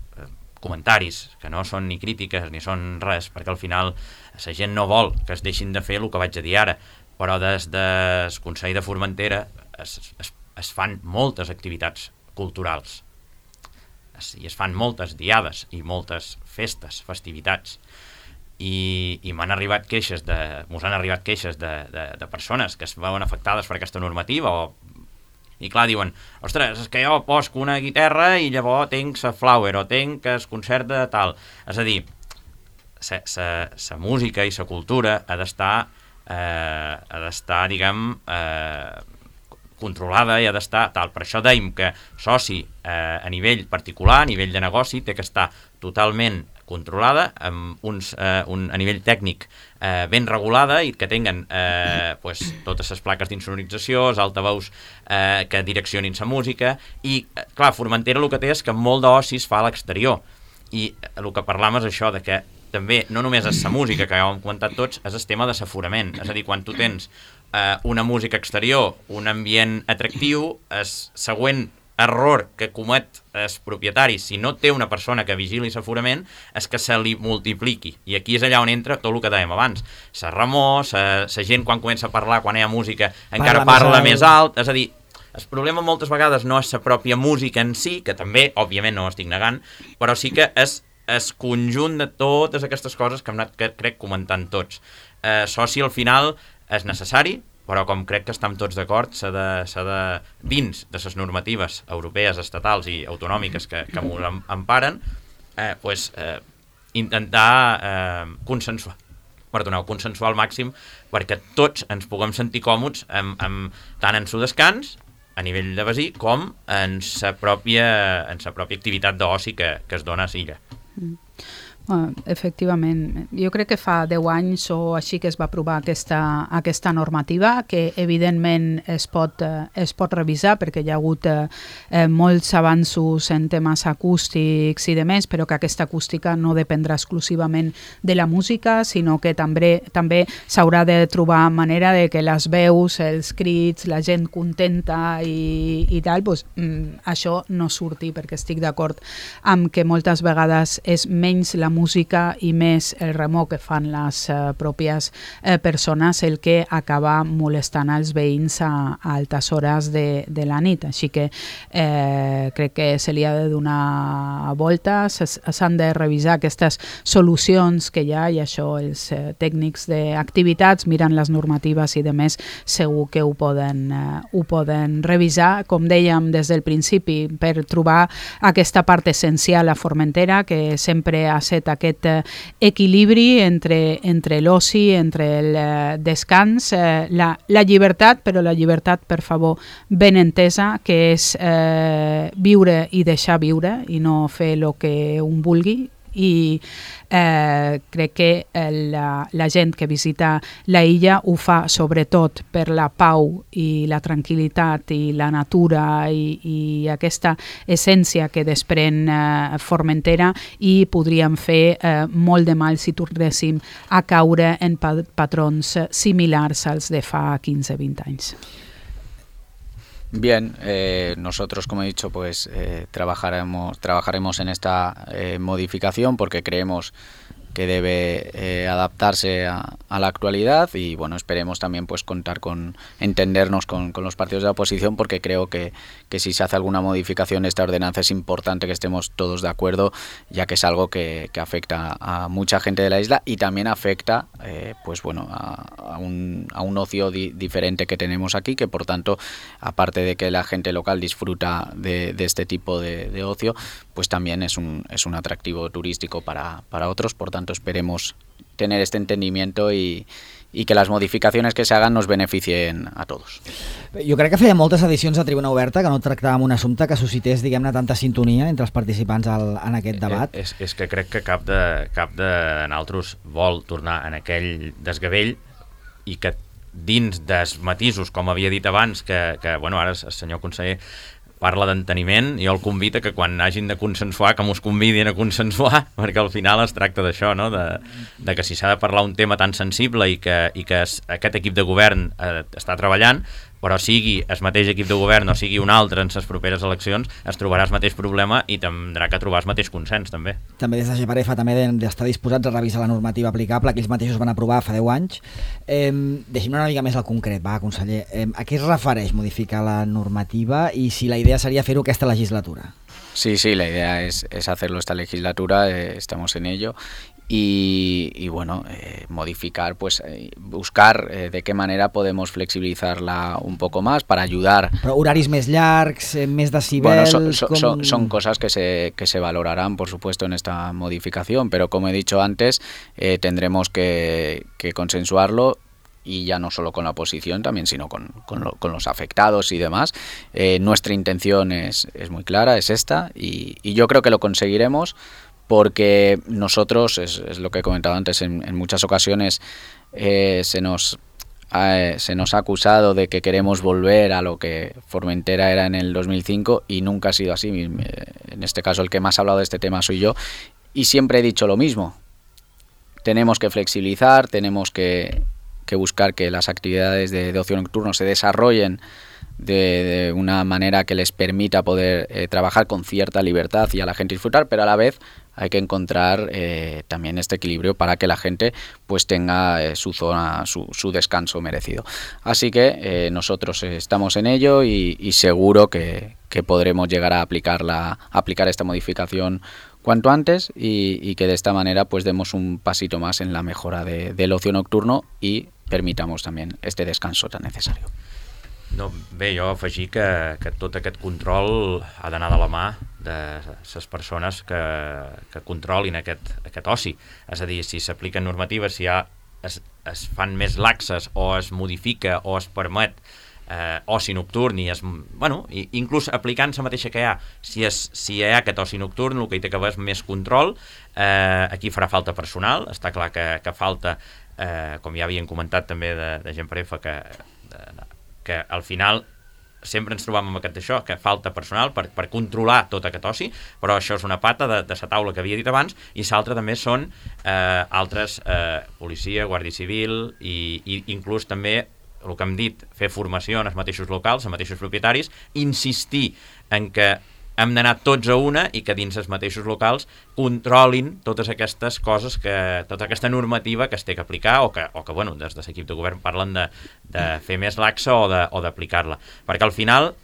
comentaris, que no són ni crítiques ni són res, perquè al final la gent no vol que es deixin de fer el que vaig a dir ara, però des del Consell de Formentera es fan moltes activitats culturals i es fan moltes diades i moltes festes, festivitats, i m'han arribat queixes mos han arribat queixes de persones que es veuen afectades per aquesta normativa i clar, diuen, ostres, és que jo posco una guitarra i llavors tenc la flower o tenc el concert de tal. És a dir, la música i la cultura ha d'estar, diguem, controlada i ha d'estar tal. Per això dèiem que soci a nivell particular, a nivell de negoci, té que estar totalment controlada, amb a nivell tècnic ben regulada i que tinguen totes les plaques d'insonorització, els altaveus que direccionin la música i, clar, Formentera el que té és que molt d'oci es fa a l'exterior i el que parlam és això, de que també no només és la música, que ja ho hem comentat tots, és el tema de l'aforament, és a dir, quan tu tens una música exterior, un ambient atractiu, el següent error que comet el propietari, si no té una persona que vigili l'aforament, és que se li multipliqui. I aquí és allà on entra tot el que dèiem abans. La remor, la gent quan comença a parlar, quan hi ha música, encara parla més alt. És a dir, el problema moltes vegades no és la pròpia música en si, que també, òbviament, no ho estic negant, però sí que és el conjunt de totes aquestes coses que hem anat, crec, comentant tots. Soci, al final, és necessari, però com crec que estem tots d'acord, s'ha de dins de les normatives europees, estatals i autonòmiques que m'ho emparen, intentar consensuar al màxim perquè tots ens puguem sentir còmodes tant en el descans a nivell de basí com en la pròpia activitat d'oci que es dona a l'illa. Efectivament, jo crec que fa 10 anys o així que es va aprovar aquesta normativa, que evidentment es pot revisar perquè hi ha hagut molts avanços en temes acústics i demés, però que aquesta acústica no dependrà exclusivament de la música, sinó que també s'haurà de trobar manera de que les veus, els crits, la gent contenta i tal, doncs, això no surti, perquè estic d'acord amb que moltes vegades és menys la música i més el remor que fan les pròpies persones el que acaba molestant els veïns a altes hores de la nit. Així que crec que se li ha de donar voltes, s'han de revisar aquestes solucions que hi ha i això els tècnics d'activitats miren les normatives i demés segur que ho poden revisar, com dèiem des del principi, per trobar aquesta part essencial a Formentera, que sempre ha estat aquest equilibri entre l'oci, entre el descans, la llibertat, però la llibertat, per favor, ben entesa, que és viure i deixar viure i no fer el que un vulgui. I crec que la gent que visita la illa ho fa sobretot per la pau i la tranquil·litat i la natura i aquesta essència que desprèn Formentera, i podríem fer molt de mal si tornéssim a caure en patrons similars als de fa 15-20 anys. Bien, nosotros, como he dicho, pues trabajaremos en esta modificación porque creemos que debe adaptarse a la actualidad y bueno, esperemos también pues contar entendernos con los partidos de la oposición, porque creo que si se hace alguna modificación de esta ordenanza es importante que estemos todos de acuerdo, ya que es algo que afecta a mucha gente de la isla y también afecta pues bueno a un ocio diferente que tenemos aquí, que por tanto, aparte de que la gente local disfruta de este tipo de ocio, pues también es un atractivo turístico para otros. Por tanto, esperemos tener este entendimiento y que les modificacions que s'hagan nos beneficien a tots. Jo crec que feia moltes edicions de Tribuna Oberta que no tractàvem un assumpte que suscités, diguem-ne, tanta sintonia entre els participants en aquest debat. És que crec que cap de nosaltres vol tornar en aquell desgavell i que dins dels matisos, com havia dit abans, que bueno, ara el senyor conseller parla d'enteniment, i jo el convido que quan hagin de consensuar, que mos convidin a consensuar, perquè al final es tracta d'això, no? de que si s'ha de parlar un tema tan sensible i que aquest equip de govern està treballant, però sigui el mateix equip de govern o sigui un altre en les properes eleccions, es trobarà el mateix problema i tindrà que trobar el mateix consens, també. També des de GEPAREFA també d'estar disposats a revisar la normativa aplicable que ells mateixos van aprovar fa 10 anys. Deixem-ne una mica més al concret, va, conseller. A què es refereix modificar la normativa i si la idea seria fer-ho aquesta legislatura? Sí, la idea es hacerlo esta legislatura, estamos en ello y bueno, modificar, pues buscar de qué manera podemos flexibilizarla un poco más para ayudar. Però horaris més llargs, més decibels... Bueno, son cosas que se valorarán, por supuesto, en esta modificación, pero como he dicho antes, tendremos que consensuarlo, y ya no solo con la oposición también, sino con los afectados y demás. Nuestra intención es muy clara, es esta, y yo creo que lo conseguiremos, porque nosotros, es lo que he comentado antes, en muchas ocasiones se nos ha acusado de que queremos volver a lo que Formentera era en el 2005, y nunca ha sido así. En este caso el que más ha hablado de este tema soy yo, y siempre he dicho lo mismo: tenemos que flexibilizar, tenemos que buscar que las actividades de ocio nocturno se desarrollen de una manera que les permita poder trabajar con cierta libertad y a la gente disfrutar, pero a la vez hay que encontrar también este equilibrio para que la gente pues tenga su zona, su descanso merecido. Así que nosotros estamos en ello, y seguro que podremos llegar a aplicar esta modificación cuanto antes, y que de esta manera pues demos un pasito más en la mejora del ocio nocturno y permitamos también este descanso tan necesario. No, bé, jo afegir que tot aquest control ha d'anar de la mà de les persones que controlin aquest oci. És a dir, si s'apliquen normatives, si es fan més laxes, o es modifica o es permet oci nocturn, i inclús aplicant la mateixa que hi ha, si hi ha aquest oci nocturn, el que hi té que haver és més control. Aquí farà falta personal, està clar que falta, com ja havien comentat també de gent prefa, que al final sempre ens trobam amb això, que falta personal per controlar tot aquest oci, però això és una pata de la taula que havia dit abans, i l'altra també són altres, policia, guàrdia civil, i inclús també el que hem dit, fer formació en els mateixos locals, els mateixos propietaris, insistir en que hem d'anar tots a una, i que dins els mateixos locals controlin totes aquestes coses, tota aquesta normativa que es té que aplicar, o que bueno, des de l'equip de govern parlen de fer més laxa o d'aplicar-la. Perquè al final,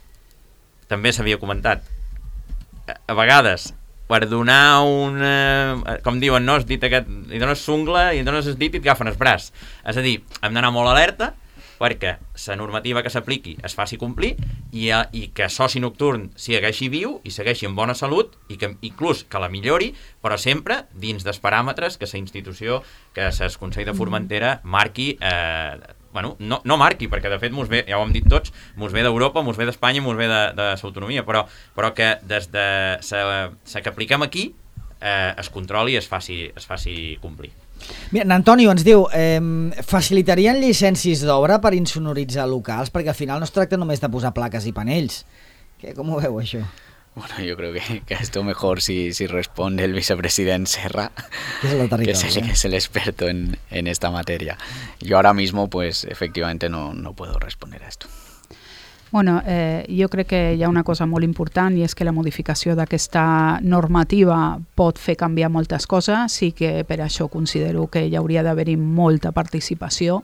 també s'havia comentat, a vegades, per donar com diuen, no? Es dit aquest, li dones sungla, i dones el dit i et agafen el braç. És a dir, hem d'anar molt alerta perquè la normativa que s'apliqui es faci complir, i que soci nocturn segueixi viu i segueixi en bona salut, i que inclús que la millori, però sempre dins dels paràmetres que la institució, que el Consell de Formentera marqui, no marqui, perquè de fet ja ho hem dit tots, mos ve d'Europa, mos ve d'Espanya, mos ve de l'autonomia, però que des de la que apliquem aquí es controli i es faci complir. Mira, Antonio ens diu, facilitarien llicències d'obra per insonoritzar locals? Perquè al final no es tracta només de posar plaques i panells. Com ho veu, això? Bueno, yo creo que esto mejor si responde el vicepresidente Serra, que es el experto en esta materia. Yo ahora mismo, pues, efectivamente no puedo responder a esto. Bueno, jo crec que hi ha una cosa molt important, i és que la modificació d'aquesta normativa pot fer canviar moltes coses, i que per això considero que hi hauria d'haver-hi molta participació,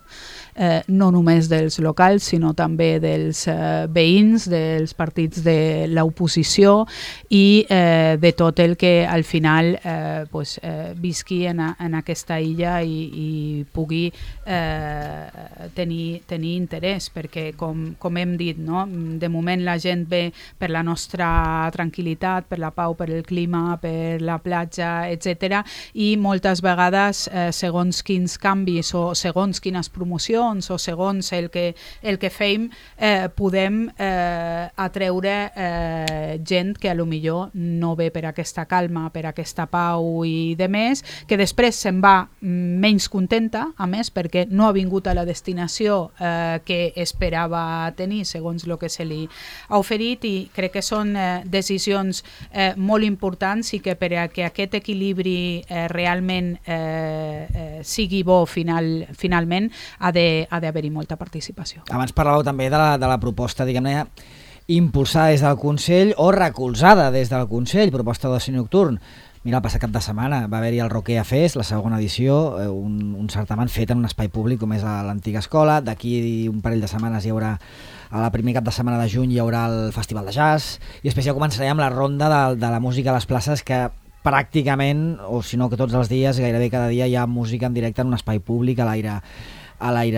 no només dels locals, sinó també dels veïns, dels partits de l'oposició, i de tot el que al final visqui en aquesta illa i pugui tenir interès, perquè com hem dit, no? De moment la gent ve per la nostra tranquil·litat, per la pau, per el clima, per la platja, etc. I moltes vegades, segons quins canvis o segons quines promocions o segons el que fem, podem atreure gent que a lo millor no ve per aquesta calma, per aquesta pau i de més, que després se'n va menys contenta, a més, perquè no ha vingut a la destinació que esperava tenir segons el que se li ha oferit, i crec que són decisions molt importants, i que per a que aquest equilibri realment sigui bo finalment ha d'haver-hi molta participació. Abans parlàveu també de la proposta, diguem-ne, impulsada des del Consell o recolzada des del Consell, proposta d'oci nocturn. Mira, el passat cap de setmana va haver-hi el Roquea Fest, la segona edició, un certamen fet en un espai públic com és l'antiga escola. D'aquí un parell de setmanes hi haurà, el primer cap de setmana de juny hi haurà el Festival de Jazz, i després ja començarem amb la ronda de la música a les places, que pràcticament, o si no que tots els dies, gairebé cada dia hi ha música en directe en un espai públic a l'aire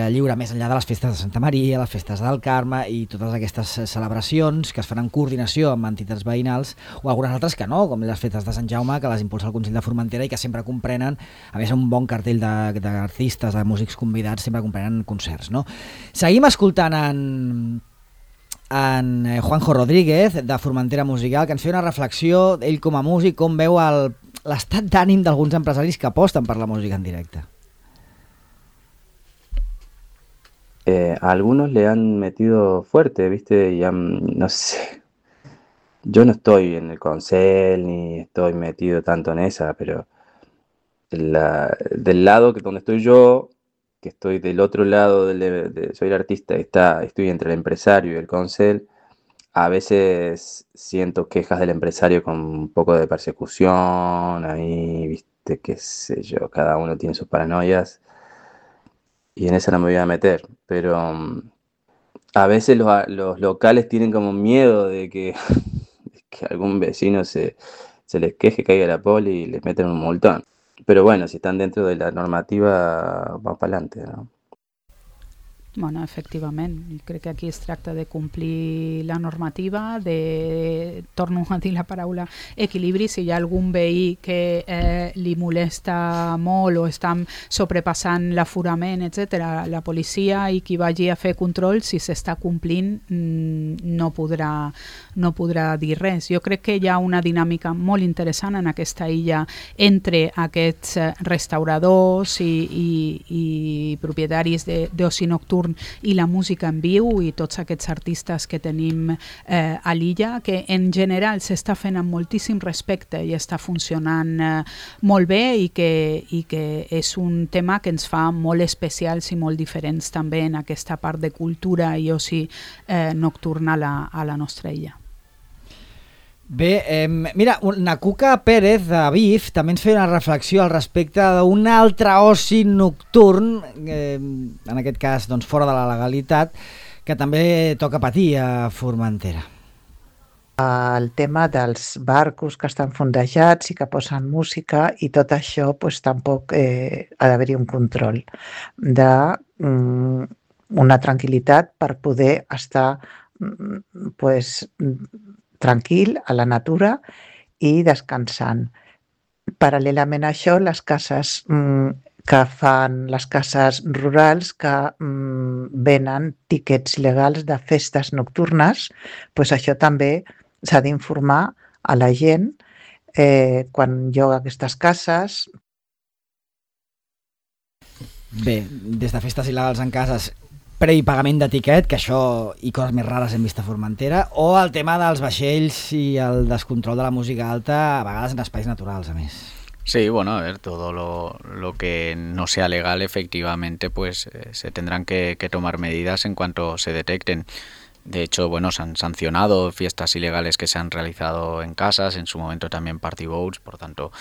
lliure, més enllà de les festes de Santa Maria, les festes del Carme i totes aquestes celebracions que es fan en coordinació amb entitats veïnals, o algunes altres que no, com les festes de Sant Jaume, que les impulsa el Consell de Formentera i que sempre comprenen, a més un bon cartell d'artistes, de músics convidats, sempre comprenen concerts, no? Seguim escoltant en Juanjo Rodríguez, de Formentera Musical, que ens feia una reflexió, ell com a músic, com veu l'estat d'ànim d'alguns empresaris que aposten per la música en directe. A algunos le han metido fuerte, ¿viste? Y no sé, yo no estoy en el Consell ni estoy metido tanto en esa, pero del lado donde estoy yo, que estoy del otro lado, soy el artista y estoy entre el empresario y el Consell, a veces siento quejas del empresario con un poco de persecución, ahí, ¿viste? Qué sé yo, cada uno tiene sus paranoias. Y en esa no me voy a meter, pero a veces los locales tienen como miedo de que algún vecino se les queje, caiga la poli y les meten un multón. Pero bueno, si están dentro de la normativa, vamos para adelante, ¿no? Bueno, efectivament, crec que aquí es tracta de complir la normativa, torno a dir la paraula equilibri. Si hi ha algun veí que li molesta molt o està sobrepassant l'aforament, etc., la policia i qui vagi a fer control, si s'està complint, no podrà dir res. Jo crec que hi ha una dinàmica molt interessant en aquesta illa entre aquests restauradors i propietaris d'oci nocturn i la música en viu i tots aquests artistes que tenim a l'illa, que en general s'està fent amb moltíssim respecte i està funcionant molt bé i que és un tema que ens fa molt especials i molt diferents també en aquesta part de cultura i oci nocturna a la nostra illa. Bé, mira, Nacuca Pérez de BIF també ens feia una reflexió al respecte d'un altre oci nocturn, en aquest cas doncs, fora de la legalitat, que també toca patir a Formentera. El tema dels barcos que estan fondejats i que posen música i tot això, pues, tampoc ha d'haver-hi un control d'una tranquil·litat per poder estar pues, tranquil a la natura i descansant. Paral·lelament a això, les cases que fan les cases rurals que venen tiquets legals de festes nocturnes, pues això també s'ha d'informar a la gent quan lloga aquestes cases. Bé, des de festes il·legals en cases, prepagament de tiquet, que això i coses més rares hem vist a Formentera, o el tema dels vaixells i el descontrol de la música alta, a vegades en espais naturals, a més. Sí, bueno, a ver, todo lo que no sea legal, efectivamente, pues se tendrán que tomar medidas en cuanto se detecten. De hecho, bueno, se han sancionado fiestas ilegales que se han realizado en casas, en su momento también party boats, por tanto,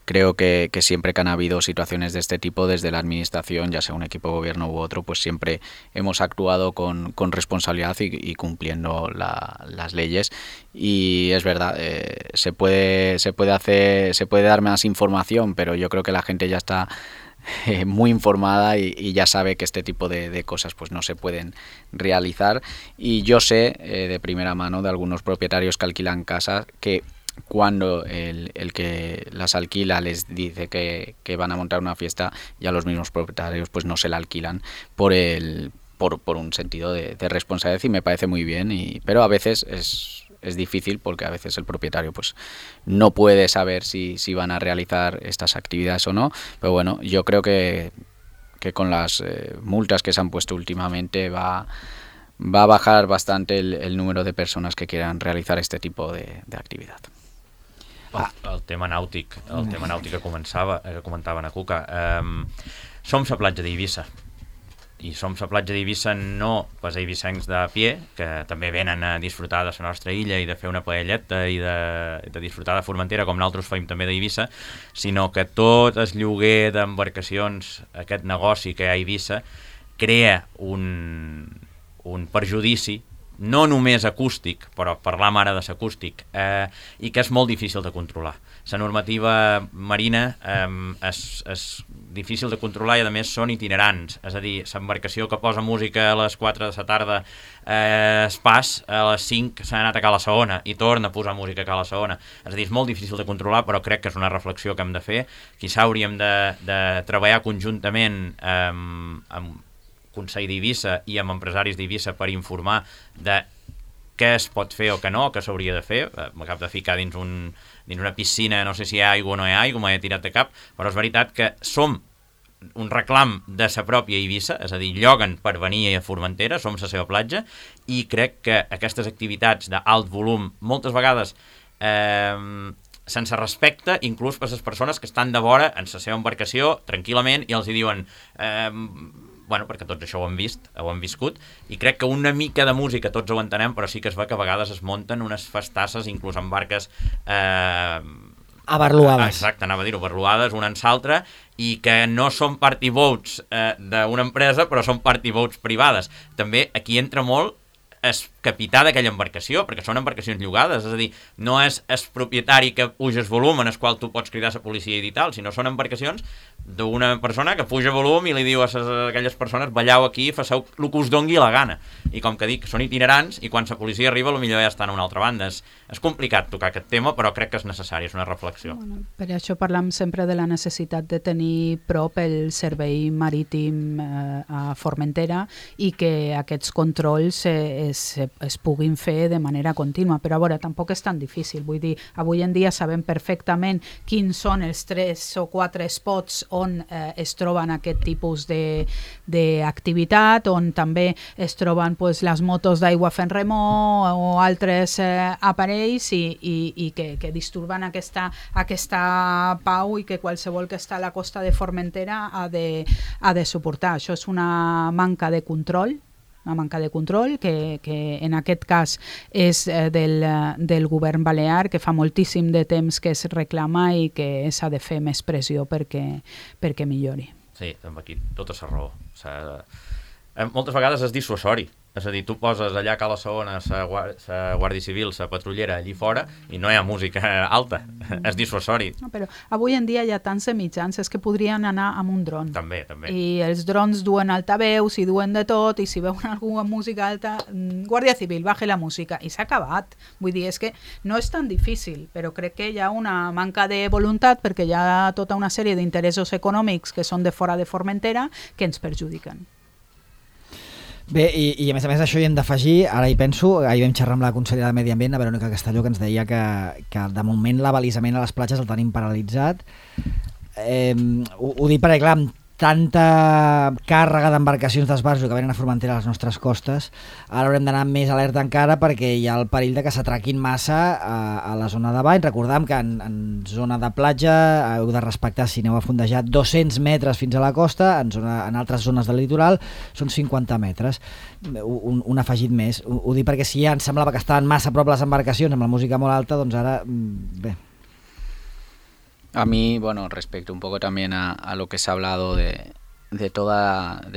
creo que siempre que han habido situaciones de este tipo desde la administración, ya sea un equipo de gobierno u otro, pues siempre hemos actuado con responsabilidad y cumpliendo las leyes. Y es verdad, se puede dar más información, pero yo creo que la gente ya está muy informada y ya sabe que este tipo de cosas pues no se pueden realizar. Y yo sé de primera mano de algunos propietarios que alquilan casas que cuando el que las alquila les dice que van a montar una fiesta, ya los mismos propietarios pues no se la alquilan por un sentido de responsabilidad, y me parece muy bien, pero a veces es difícil porque a veces el propietario pues no puede saber si van a realizar estas actividades o no, pero bueno, yo creo que con las multas que se han puesto últimamente va a bajar bastante el número de personas que quieran realizar este tipo de actividad. El tema nàutic que comentava Nacuca, som la platja d'Eivissa, i som la platja d'Eivissa no pels eivissencs de pie, que també venen a disfrutar de la nostra illa i de fer una paelleta i de disfrutar de Formentera, com nosaltres feim també d'Eivissa, sinó que tot el lloguer d'embarcacions, aquest negoci que hi ha a Eivissa, crea un perjudici no només acústic, però parlam ara de l'acústic, i que és molt difícil de controlar. La normativa marina és difícil de controlar i a més són itinerants, és a dir, l'embarcació que posa música a les 4 de la tarda es pas, a les 5 s'ha anat a Cala Segona i torna a posar música a Cala Segona. És a dir, és molt difícil de controlar, però crec que és una reflexió que hem de fer. Quizà hauríem de treballar conjuntament amb Consell d'Eivissa i amb empresaris d'Eivissa per informar de què es pot fer o què no, què s'hauria de fer. M'acabo de ficar dins una piscina, no sé si hi ha aigua o no hi ha aigua, m'he tirat de cap, però és veritat que som un reclam de sa pròpia Eivissa, és a dir, lloguen per venir a Formentera, som la seva platja, i crec que aquestes activitats d'alt volum, moltes vegades sense respecte, inclús per les persones que estan de vora en la seva embarcació, tranquil·lament, i els hi diuen... Bueno, perquè tots això ho hem vist, ho hem viscut, i crec que una mica de música tots ho entenem, però sí que es ve que a vegades es munten unes festasses, inclús en barques... abarluades. Exacte, anava a dir-ho, abarluades, una en l'altra, i que no són party boats d'una empresa, però són party boats privades. També aquí entra molt el capità d'aquella embarcació, perquè són embarcacions llogades, és a dir, no és el propietari que puja el volum en el qual tu pots cridar a la policia i dir tal, sinó són embarcacions d'una persona que puja volum i li diu a aquelles persones, ballau aquí, faceu el que us dongui la gana. I com que dic, són itinerants i quan la policia arriba potser ja estan a una altra banda. És complicat tocar aquest tema, però crec que és necessari, és una reflexió. Bueno, per això parlam sempre de la necessitat de tenir prop el servei marítim a Formentera i que aquests controls es puguin fer de manera contínua, però a veure, tampoc és tan difícil, vull dir, avui en dia sabem perfectament quins són els 3 o 4 spots on es troben aquest tipus d'activitat, on també es troben pues, les motos d'aigua fent remor o altres aparells i que disturben aquesta pau i que qualsevol que està a la costa de Formentera ha de suportar. Això és una manca de control, que en aquest cas és del govern balear, que fa moltíssim de temps que es reclama i que s'ha de fer més pressió perquè millori. Sí, aquí tota la raó. Moltes vegades és dissuasori. És a dir, tu poses allà a Cala Segona la Guàrdia Civil, la patrullera allí fora i no hi ha música alta, és dissuasori. No, però avui en dia hi ha tants mitjans, és que podrien anar amb un dron. També. I els drons duen altaveus i duen de tot, i si veuen alguna música alta, Guàrdia Civil, baje la música, i s'ha acabat. Vull dir, és que no és tan difícil, però crec que hi ha una manca de voluntat perquè hi ha tota una sèrie d'interessos econòmics que són de fora de Formentera que ens perjudiquen. Bé, i a més això hi hem d'afegir, ara hi penso, ahir vam xerrar amb la consellera de Medi Ambient, la Verònica Castelló, que ens deia que de moment l'abalisament a les platges el tenim paralitzat. Ho dic perquè, clar, amb tanta càrrega d'embarcacions d'esbarjo que venen a Formentera a les nostres costes, ara haurem d'anar més alerta encara perquè hi ha el perill de que s'atraquin massa a la zona de bany. Recordem que en zona de platja heu de respectar, si aneu a fondejar, 200 metres fins a la costa, en altres zones del litoral són 50 metres. Un afegit més. Ho dic perquè si ja ens semblava que estaven massa a prop les embarcacions amb la música molt alta, doncs ara, bé. A mí, bueno, respecto un poco también a lo que se ha hablado de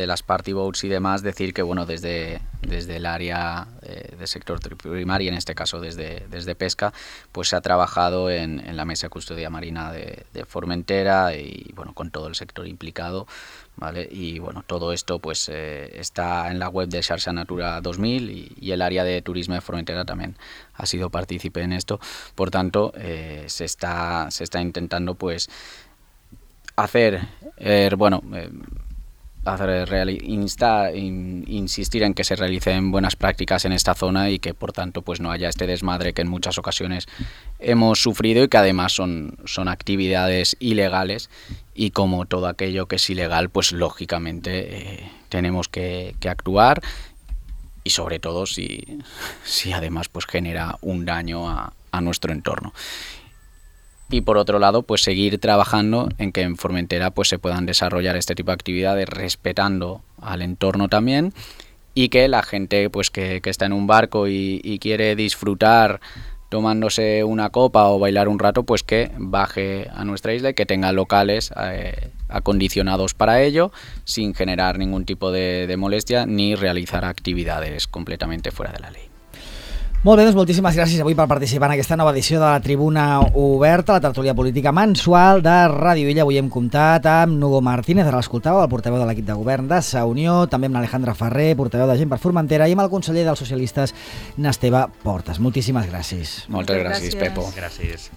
las party boats y demás, decir que, bueno, desde el área de sector primario, en este caso desde pesca, pues se ha trabajado en la mesa de custodia marina de Formentera y, bueno, con todo el sector implicado, ¿vale? Y, bueno, todo esto pues está en la web de Xarxa Natura 2000 y el área de turismo de Formentera también ha sido partícipe en esto. Por tanto, se está intentando pues insistir en que se realicen buenas prácticas en esta zona y que por tanto pues no haya este desmadre que en muchas ocasiones hemos sufrido y que además son actividades ilegales, y como todo aquello que es ilegal pues lógicamente tenemos que actuar, y sobre todo si además pues genera un daño a nuestro entorno. Y por otro lado, pues seguir trabajando en que en Formentera pues se puedan desarrollar este tipo de actividades respetando al entorno también, y que la gente pues que está en un barco y quiere disfrutar tomándose una copa o bailar un rato, pues que baje a nuestra isla y que tenga locales acondicionados para ello, sin generar ningún tipo de molestia ni realizar actividades completamente fuera de la ley. Molt bé, doncs moltíssimes gràcies avui per participar en aquesta nova edició de la Tribuna Oberta, la tertúlia política mensual de Ràdio Illa. Avui hem comptat amb Nugo Martínez, ara l'escoltàveu, el portaveu de l'equip de govern de Sa Unió, també amb l'Alejandra Ferrer, portaveu de Gent per Formentera, i amb el conseller dels socialistes, n'Esteve Portes. Moltíssimes gràcies. Moltes gràcies, Pepo. Gràcies.